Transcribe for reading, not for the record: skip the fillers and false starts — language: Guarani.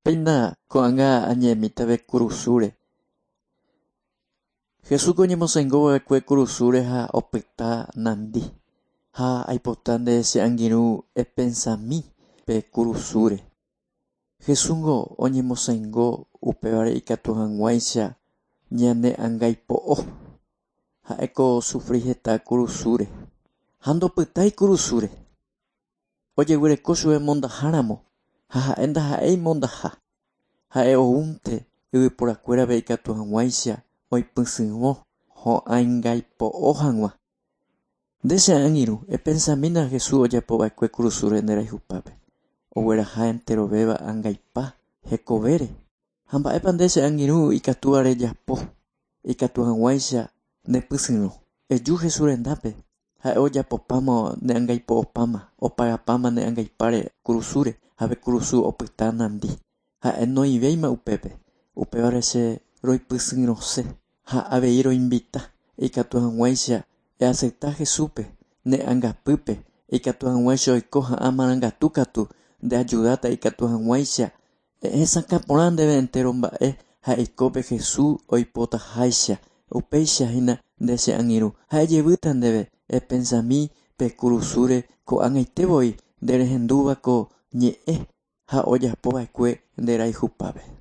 Péina ko'ág̃a añe'ẽmítave kurusúre. Jesús oñemosaingo va'ekue kurusúre ha opyta nandi. Ha aipota nde che angirũ epensami pe kurusúre. Jesúsngo oñemosaingo upévare ikatu hag̃uáicha ñane angaipo'o. Ha'éko osufri heta kurusúre. Ha ndopytái kurusúre. Ojeguereko chupe mondaháramo ha ha'e ndaha'éi mondaha. Ha'e oúnte yvyporakuérape ikatu hag̃uáicha oipysyrõ ho'angaipo'o hag̃ua. Nde che angirũ, epensamína Jesús ojapova'ekue kurusúre nderayhupápe. Ogueraha enterovéva angaipa hekovére. Ha mba'épa nde che angirũ ikatúva rejapo ikatu hag̃uáicha nepysyrõ. Eju Jesús rendápe. Ha'e ojapopáma ne angaipo'opáma, opagapáma ne angaipáre kurusúre ha pe kurusu opyta nandi. Ha'e noĩvéima upépe. Upévare che roipysyrõse ha avei roinvita ikatu hag̃uáicha eacepta Jesúspe ne angapýpe ikatu hag̃uáicha oiko ha'ã marangatu katu ndeayudáta ikatu hag̃uáicha hesakã porã ndéve entero mba'e ha eikópe Jesús oipotaháicha. Upéicha hína nde che angirũ. Ha ejevýta ndéve epensami pe kurusúre ko'ag̃aite voi nderehendúva ko ñe'ẽ ha ojapova'ekue nderayhupápe.